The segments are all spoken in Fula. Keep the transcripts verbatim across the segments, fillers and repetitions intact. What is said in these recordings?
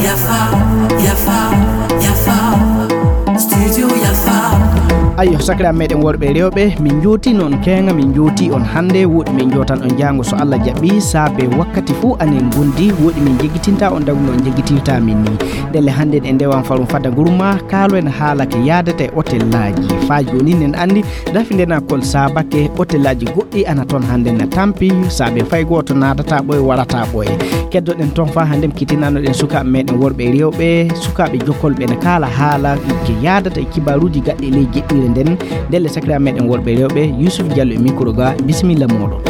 Yafa, yafa, yafa. Studio yafa. Ayyo, sakiraaɓe meɗen worɓe e rewɓe, min njooti noon keeŋa, min njooti on hannde. Woɗi min njootan on jaango so Allah jaɓi, saabe wakkati fuu anen ngondi. Woɗi min jeggitinta on dagu noon jeggitirta min ni. Ndelle hannde en ndewan farum fada gurma, kaalo en haala ke yaadata e hotellaaji. Faa jooni nen anndi rafi ndenakol saabake hotellaaji goɗɗi ana toon hannde na tampi, saabe fay gooto naatata ɓoye, warata ɓoye. Keddoɗen toon faa hannde kitinanoɗen sukaaɓe meɗen worɓe e rewɓe, sukaaɓe jokkolɓe ne kaala haala ke yaadata e kibaaruuji gaɗɗi ley jeɗɗire nden. Ndelle sakiraaɓe meɗen worɓe e rewɓe, Yusuf Diallo e micro ga, bisimilla mooɗon.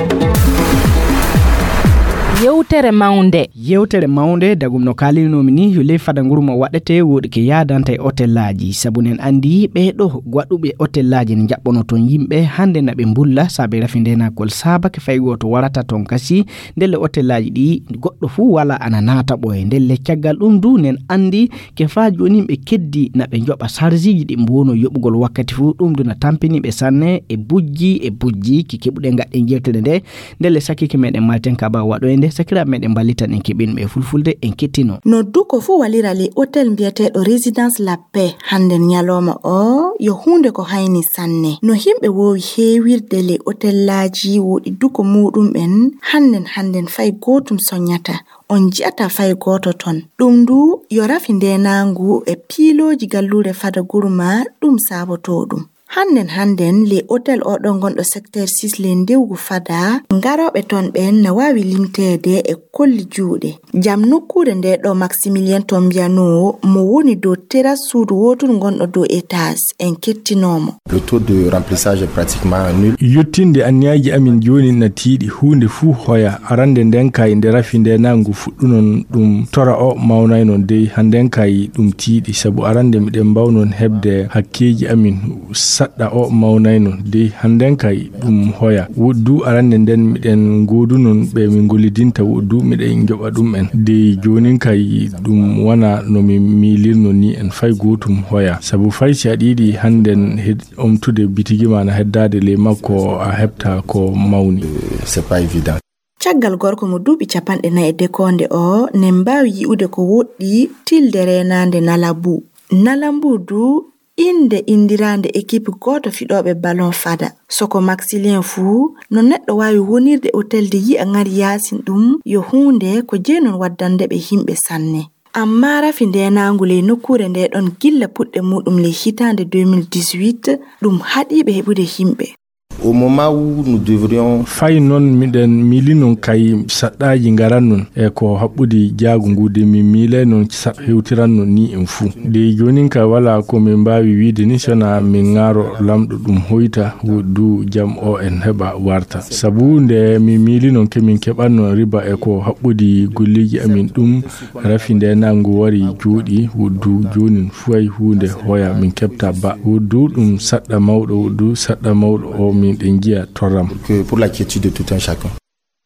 Yewtere mawnde. Yewtere mawnde, dagum no kaalinoomi ni, yo ley fada nguru mo waɗete woɗi ke yaadanta e hotellaaji. Sabu nen anndi ɓee ɗo waɗuɓe hotellaaji ne njaɓɓono toon yimɓe, hannde na ɓe mbulla, saabe rafi ndenakol saabake fay gooto warata toon kasi, ndelle hotellaaji ɗi goɗɗo fuu wala ana naata ɓoye. Ndelle caggal ɗum du nen anndi ke faa jooni ɓe keddi na ɓe njoɓa sarjiiji ɗi mbono yoɓugol wakkati fuu, ɗum du na tampini ɓe sanne e bujji e bujji ki keɓuɗen gaɗɗen jewtere nde. Ndelle sakike meɗen malten kaba waɗoyde, sakiraaɓe meɗen mballitan en keɓinɓe e fulfulde en kettino. No duko fuu walira ley otel mbiyeteeɗo Résidence La Paix hannden ñalooma o yo huunde ko hayni sanne. No himɓe woowi heewirde ley otellaaji woɗi duko muuɗum'en hannden hannden fay gootum soñata. On ji'ata fay gooto ton. Ɗum ndu yo rafi ndeenaangu e piilooji galluure fada gurma ɗum saabotoo ɗum. Hannden hannden ley otel oɗo gonɗo secteur six ley ndewgu fada, ngarooɓe ton ɓen na waawi limteede e kolli juuɗe. Jam nokkuure nde ɗo Maximilien Tombiano mo woni dow teras suudu wooturu gonɗo dow étage en kettinoomo. Le taux de remplissage est pratiquement nul. Yottinde anniyaaji amin jooni na tiiɗi, huunde fuu hoya. Arande nden kay nde rafi nde nangu fuɗɗunon ɗum tora o mawnaynon dey hannden kay ɗum tiiɗi, sabu arande miɗen mbawnon heɓde hakkeeji amin saɗɗa o mawnaynon dey hannden kay ɗum hoya. Woɗdu arande nden miɗen ngoodunon ɓe min gollidinta woɗdu miɗen njoɓa ɗum en. Dey joonin kay ɗum wona no min miilirno ni en fay gootum hoya. Sabu fay si aɗa yiɗi hannden hed-, omtude bitigi ma na heddaade ley makko a heɓta ko mawni. C'est pas évident. Caggal gorko mo duuɓi capanɗe nayi e dekoonde o, nen mbaawi yi'ude ko woɗɗi tilde reenaande Nalambu. Nalambu du innde inndiraande ekipi gooto fiɗooɓe balon fada. Soko Maxilien fuu, no neɗɗo waawi wonirde otel de yi'a ŋari yaasin ɗum, yo huunde ko jeynon waddande ɓe himɓe sanne. Amma rafi ndeenaangu ley nokkuure nde ɗon gilla puɗɗe muuɗum ley hitaande deux mille dix-huit, ɗum haɗii ɓe heɓude himɓe. Au moment où nous devrions Fay noon miɗen miilinon kay saɗɗaaji ngarannon e ko haɓɓudi jaagu ngu de min miilay noon saɗ hewtiranno ni en fuu. De joonin kay walaa ko min mbaawi wiide ni sona min ŋaaro lamɗo ɗum hoyta du jam o en heɓa warta. Sabu nde min miilinon ke min keɓanno riba e ko haɓɓudi golleeji amin ɗum rafi nde nangu wari jooɗi woɗdu joonin fuu ay huunde hoya min keɓta ba. Woɗdu ɗum saɗɗa mawɗo, woɗdu saɗɗa mawɗo o min ɗen njiya torram. Que pour la quiétude de tout un chacun.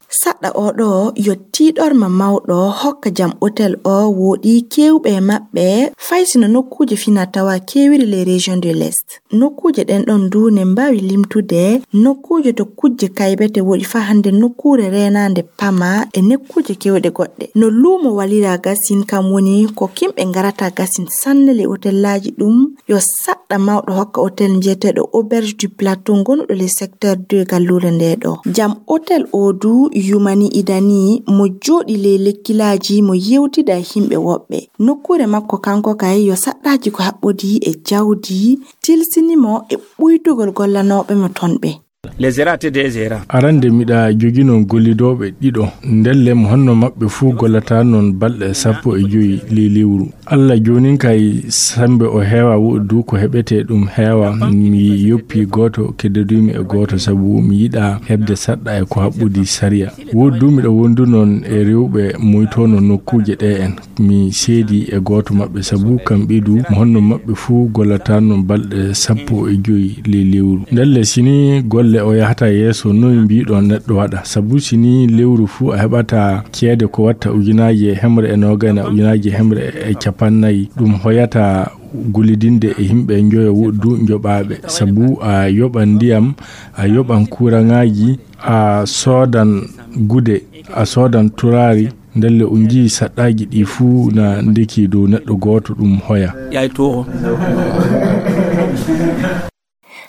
Saɗɗa o ɗo yo tiiɗorma mawɗo hokka jam otel o woɗi keewɓe e maɓɓe fay sino nokkuuje fina tawa keewiri les régions de l'Est. Nokkuuje ɗen ɗon du ne mbaawi limtude nokkuuje to kujje kaybete woɗi faa hannde nokkuure reenaande pama e nokkuuje keewɗe goɗɗe. No luumo walira gasin kam woni ko kimɓe ngarata gasin sanne le otellaaji ɗum yo saɗɗa mawɗo hokka otel njeeteeɗo Auberge du Plateau gonuɗo le secteur deux galluure nde ɗo. Jam otel o du yumani idani mo jooɗi ley lekkilaaji mo yewtida e himɓe woɓɓe. Nokkuure makko kanko kay yo saɗɗaaji ko haɓɓodii e jawdi tilsini mo e ɓuytugol gollanooɓe mo ton ɓe. Les erreurs étaient des erreurs. Arande miɗa joginon gollidooɓe ɗiɗo. Ndelle mo honno maɓɓe fuu gollata noon balɗe sappo e joyi ley lewru. Alla joonin kay sembe o heewa woɗdu ko heɓetee ɗum heewa. Mi yoppi gooto keddodumi e gooto sabu mi yiɗa heɓde saɗɗa e ko haɓɓodi sariya. Woɗdu miɗo wondu noon e rewɓe moytoono nokkuuje ɗe en. Mi seedi e gooto maɓɓe sabu kamɓe du mo honno maɓɓe fuu gollata noon balɗe sappo e joyi ley lewru. Ndelle sini golle o yahata yeeso noy mbiɗo neɗɗo waɗa sabu sini lewru fuu a heɓata ceede ko watta ujunaaji e hemre e noogay na ujunaaji e hemre e capannayi ɗum hoyata gollidinde e yimɓe njoyo woɗdu njoɓaaɓe sabu a yoɓan ndiyam a yoɓan kuuraŋaaji A soodan gude, a soodan turaari, ndelle on njii saɗɗaaji ɗi fuu na ndeki dow neɗɗo gooto ɗum hoya. Yaay tooho.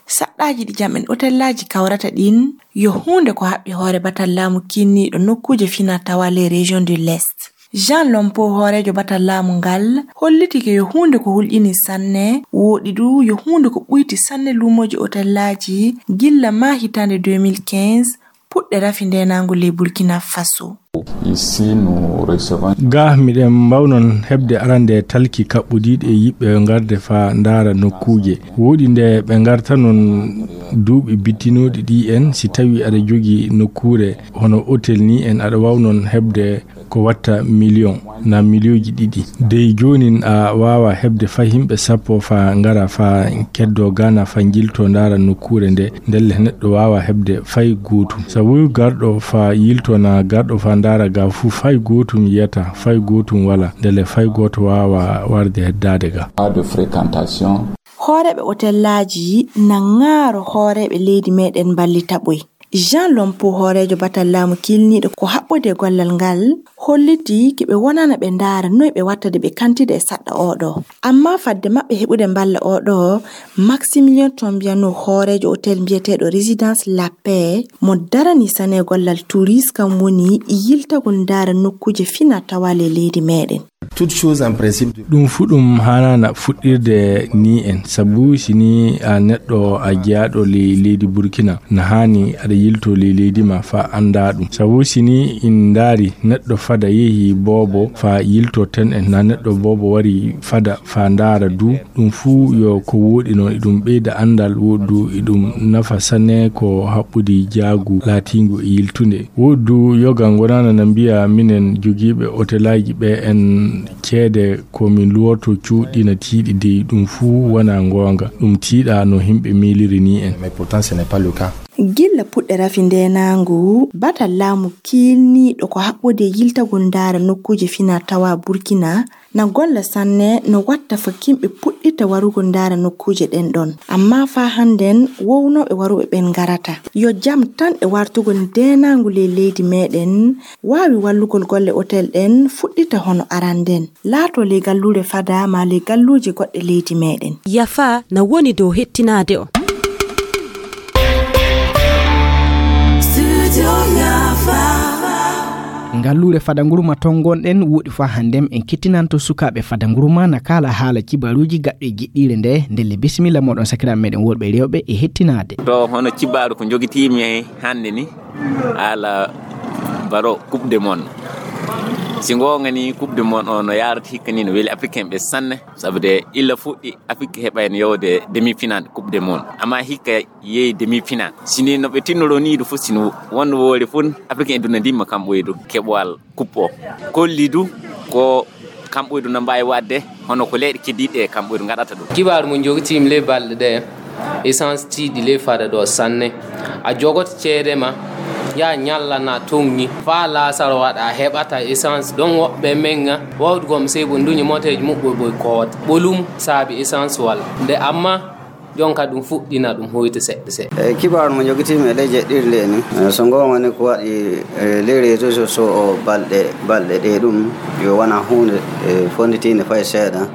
Saɗɗaaji ɗi jam en otellaaji kawrata ɗin yo huunde ko haɓɓi hoore batal laamu kinniiɗo nokkuuje fina tawa les régions de l'Est. Jean Lompo, hooreejo batal laamu ngal, holliti ke yo huunde ko hulƴini sanne, wooɗi du yo huunde ko ɓuyti sanne luumooji otellaaji gilla maa hitaande deux mille quinze, puɗɗe rafi ndeenaangu ley Burkina Faso. Ici, nous recevons Ga miɗen mbawnon heɓde arande talki kaɓɓodiiɗi e yiɓɓe ngarde faa ndaara nokkuuje. Wooɗi nde ɓe ngartanon duuɓi bittinooɗi ɗi en, si tawi aɗa jogii nokkuure hono otel ni en, aɗa wawnon heɓde ko watta miliyon na miliyonji ɗiɗi. Dey joonin a waawa heɓde fay yimɓe sappo faa ngara faa keddoo Gaana faa njiltoo ndaara nokkuure nde, ndelle neɗɗo waawa heɓde fay gootum. Sabu garɗo faa yiltoo na garɗo faa ndaara ga fuu fay gootum yiyata, fay gootum walaa, ndelle fay gooto waawa warde heddaade ga. Pas de fréquentation. Hooreeɓe otellaaji na ŋaaro hooreeɓe leydi meɗen mballita ɓoy. Jean Lompo, hooreejo batal laamu kiilniiɗo ko haɓɓodi e gollal ngal, holliti ki ɓe wonana ɓe ndaara noy ɓe wattade ɓe kantide e saɗɗa oɗo. Amma fadde maɓɓe heɓude mballa oɗo, Maximilien Tombiano, hooreejo otel mbiyeteeɗo Résidence La Paix, mo darani sane gollal tourisme, kam woni yiltagol ndaara nokkuuje fina tawa le leydi meɗen. Toute chose en principe. Ɗum fuu ɗum haanaana fuɗɗirde ni en, sabu si ni a neɗɗo a jeyaaɗo ley leydi Burkina, na haani aɗa yilto ley leydi ma faa anndaa ɗum. Sabu si ni in ndaari neɗɗo fada yehi boobo faa yilto ten en, na neɗɗo boobo wari fada faa ndaara du, ɗum fuu yo ko wooɗi noon, iɗum ɓeyda anndal, wooɗi du iɗum nafa sanne ko haɓɓudi jaagu laatiingu e yiltunde. Wooɗi du yoga ngonaana na mbiya minen jogiiɓe otelaaji ɓe en ceede ko min luwoto cuuɗi na tiiɗi dey, ɗum fuu wonaa ngoonga. Ɗum tiiɗaa no yimɓe miiliri ni en. Mais pourtant, ce n'est pas le cas. Gilla puɗɗe rafi ndeenaangu, batal laamu kiilniiɗo ko haɓɓodi e yiltagol ndaara nokkuuje fina tawa Burkina, na golla sanne no watta faa yimɓe puɗɗita warugol ndaara nokkuuje ɗen ɗon. Amma faa hannden wownooɓe waruɓe ɓen ngarata. Yo jam tan e wartugol ndeenaangu ley leydi meɗen waawi wallugol golle otel ɗen fuɗɗita hono aranden. Laatoo ley galluure fada maa ley galluuje goɗɗe leydi meɗen. Yafa na woni dow hettinaade on. Ngalluure fada ngurma ton ngonɗen woɗi faa hannden en kettinanto sukaaɓe fada ngurma na kaala haala cibaaruuji gaɗɗo e jiɗɗiire nde, ndelle bisimilla mooɗon sakiraaɓe meɗen worɓe e rewɓe e hettinaade. To hono cibaaru ko njogitiimi hannde ni, haala baro Coupe du Monde. Si ngoonga ni, Coupe du Monde o no yaarata hikka ni no weli Africain ɓe sanne, sabu de illa fuɗɗi Afrik heɓayno yewde demi-finale Coupe du Monde. Amma hikka yehi demi-finale. Si ni no ɓe tinnoro ni du fof, si no wonno woore fof, Africain e duna ndimma kam ɓoydu keɓowal coupe o. Kolli du ko kam ɓoydu no mbaawi waɗde, hono ko leyɗe keddiiɗe kam ɓoydu ngaɗata ɗum. Kibaaru mo njogitiimi ley balɗe ɗe, essence tiiɗi ley fada ɗo sanne. A jogoto ceede ma, yaa ñalla na toŋŋi. Faa laasaro waɗa, a heɓata essence. Ɗon woɓɓe men ŋa, wawdu gom sey bo nduñi moteeji muɓɓoy boy koota. Ɓolum saabi essence wala. Nde amma, jonka ɗum fuɗɗina ɗum hoyta seɗɗa seɗɗa. E kibaaru mo njogitiimi e ley jeɗɗirde ni, e so ngoonga ni ko waɗi, e ley réseaux sociaux o balɗe, balɗe ɗe ɗum, yo wona huunde, e, fonnditiinde fay seeɗa.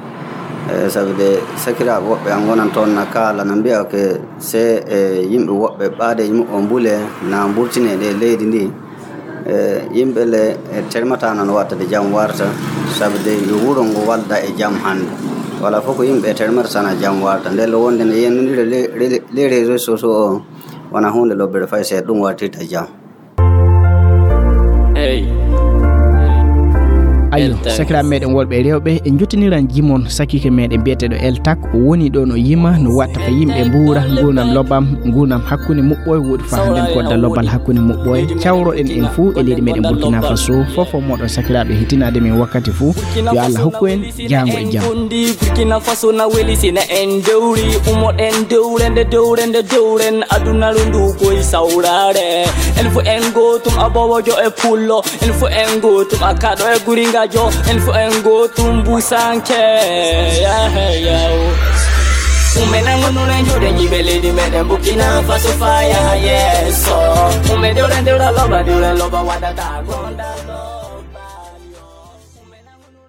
E sabu de sakiraaɓe woɓɓe an ngonan toon na kaala, na mbiya ke se, e, yimɓe woɓɓe ɓaadeeji muɓɓen mbule na mburtine ɗe leydi ndi. E, yimɓe le, e, termata noon watta de jam warta, sabu de yo wuro ngo walda e jam hannde. Wala fof ko yimɓe termata sana jam warta. Nde lo wonde ne yennondira le, le, les réseaux sociaux o, wona huunde lobbere fay seeɗa, ɗum wartirta jam. Hey. Ayo, sakiraaɓe meɗen worɓe e rewɓe, en jottiniran jimon sakiike meɗen biyeteeɗo El Tak. O woni ɗo no yima no watta ko yimɓe mbuura nguurndam lobbam, nguurndam hakkunde muɓɓoy, woɗi faa hannden kodda lobbal hakkunde muɓɓoy. Cawroɗen en fuu e leydi meɗen Burkina Faso. Fofo moɗon sakiraaɓe hettinaade men wakkati fuu. Yo Allah hokku en jaango e jam. Burkina Faso na weli sina en dewri, umoɗen dewrende, dewrende, dewren, adunaru ndu koy sawrare. En fu en gootum, abowojo e pullo, en fu en gootum, akaɗo e guringajo, en fu en gootum busanke. Yahe yaw. Umena ngonnuɗen juuɗe jiɓe leydi meɗen Burkina Faso faya yeeso. Ume dewra dewra loba dewra loba waɗata gonda.